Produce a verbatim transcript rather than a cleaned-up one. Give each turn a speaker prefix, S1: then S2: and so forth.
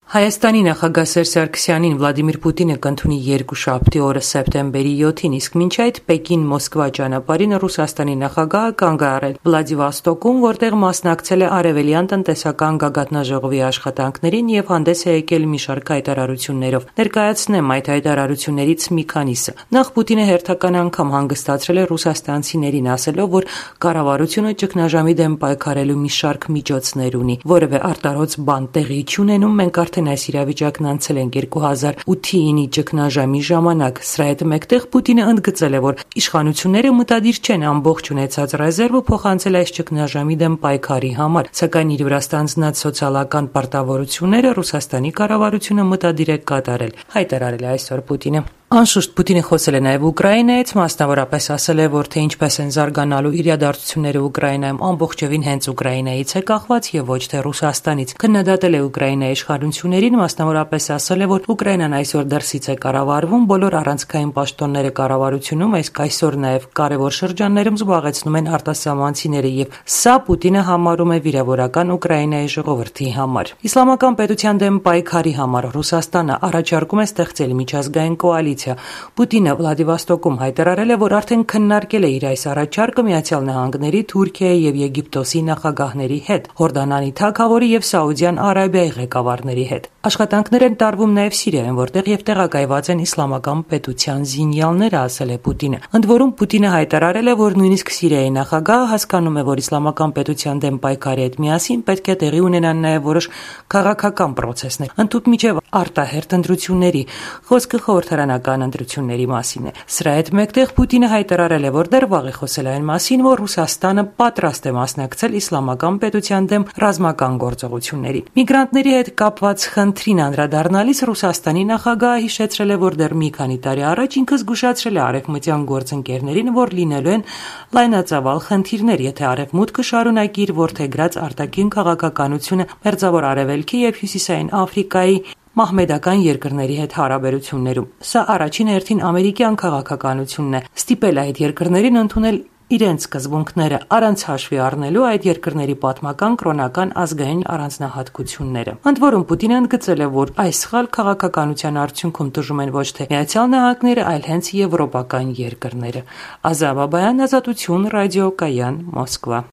S1: Հայաստանի նախագահ Սերժ Սարգսյանին Վլադիմիր Պուտինը կընդունի երկուշաբթի օրը սեպտեմբերի յոթին, իսկ մինչ այդ Պեկին-Մոսկվա ճանապարհին Ռուսաստանի նախագահը կանգ է առել Վլադիվոստոկում, որտեղ մասնակցել է Արևելյան տնտեսական գագաթնաժողովի աշխատանքներին եւ հանդես է եկել մի շարք հայտարարություններով։ Ներկայացնեմ այդ հայտարարություններից մի քանիսը։ Նախ Պուտինը հերթական անգամ հանգստացրել է ռուսաստանցիներին, ասելով, որ կառավարությունը ճգնաժամի դեմ պայքարելու մի շարք միջոցներ ունի, որևէ արտարոց բան տեղի չունենում, մենք արդեն այս իրավիճակն անցել ենք երկու հազար ութի ճգնաժամի ժամանակ։ Սրա հետ մեկտեղ Պուտինը ընդգծել է, որ իշխանությունները մտադիր չեն ամբողջ ունեցած ռեզերվը փոխանցել այս ճգնաժամի դեմ պայքարի համար, սակայն իր վրա ստանձնած սոցիալական պարտավորությունները Ռուսաստանի կառավարությունը մտադիր է կատարել, հայտարարել է այսօր Պուտինը։ Անշուշտ Պուտինը խոսել է նաև Ուկրաինայից, մասնավորապես ասել է, որ թե ինչպես են զարգանալու իրադարձությունները Ուկրաինայում ամբողջովին հենց Ուկրաինայից է կախված եւ ոչ թե Ռուսաստանից։ Քննադատել է Ուկրաինայի իշխանություններին, մասնավորապես ասել է, որ Ուկրաինան այսօր դրսից է կառավարվում, բոլոր առանցքային պաշտոնները կառավարությունում, իսկ այսօր նաև կարևոր շրջաններում զբաղեցնում են արտասահմանցիները եւ սա Պուտինը համարում է վիրավորական Ուկրաինայի ժողովրդի համար։ Իսլամական պետության դեմ պայքարի համար Ռուսաստանը առաջարկում է ստեղծել միջազգային կոալիցիա։ Պուտինը Վլադիվոստոկում հայտարարել է, որ արդեն քննարկել է իր այս առաջարկը Միացյալ Նահանգների, Թուրքիայի եւ Եգիպտոսի նախագահների հետ, Հորդանանի թագավորի եւ Սաուդյան Արաբիայի ղեկավարների հետ։ Աշխատանքներ են տարվում նաև Սիրիայում, որտեղ եւ տեղակայված են իսլամական պետության զինյալները, ասել է Պուտինը։ Ընդ որում Պուտինը հայտարարել է, որ նույնիսկ Սիրիայի նախագահը հասկանում է, որ իսլամական պետության դեմ պայքարի հետ միասին պետք է տեղի ունենան նաև որոշ քաղաքական պրոցեսներ, ընդհուպ արտահերթ ընտրությունների, խոսքը խորհրդարանական ընտրությունների մասին է։ Սրա հետ մեկտեղ Պուտինը հայտարարել է, որ դեռ վաղ է խոսել այն մասին, որ Ռուսաստանը պատրաստ է մասնակցել իսլամական պետության դեմ ռազմական գործողություններին։ Միգրանտների հետ կապված խնդրին անդրադառնալիս Ռուսաստանի նախագահը հիշեցրել է, որ դեռ մի քանի տարի առաջ ինքը զգուշացրել է արևմտյան գործընկերներին, որ լինելու են լայնածավալ խնդիրներ, եթե Արևմուտքը շարունակի իր որդեգրած արտաքին քաղաքականությունը Մերձավոր Արևելքի եւ Հյուսիսային Աֆրիկայի մահմեդական երկրների հետ հարաբերություններում։ Սա առաջին հերթին ամերիկյան քաղաքականությունն է, ստիպել այդ երկրներին ընդունել իրենց սկզբունքները, առանց հաշվի առնելու այդ երկրների պատմական, կրոնական, ազգային առանձնահատկությունները։ Ընդ որում Պուտինը ընդգծել է, որ այս սխալ քաղաքականության արդյունքում տժժում են ոչ թե Միացյալ Նահանգները, այլ հենց եվրոպական երկրները։ Ազա Բաբայան, Ազատություն, ռադիոկայան, Մոսկվա։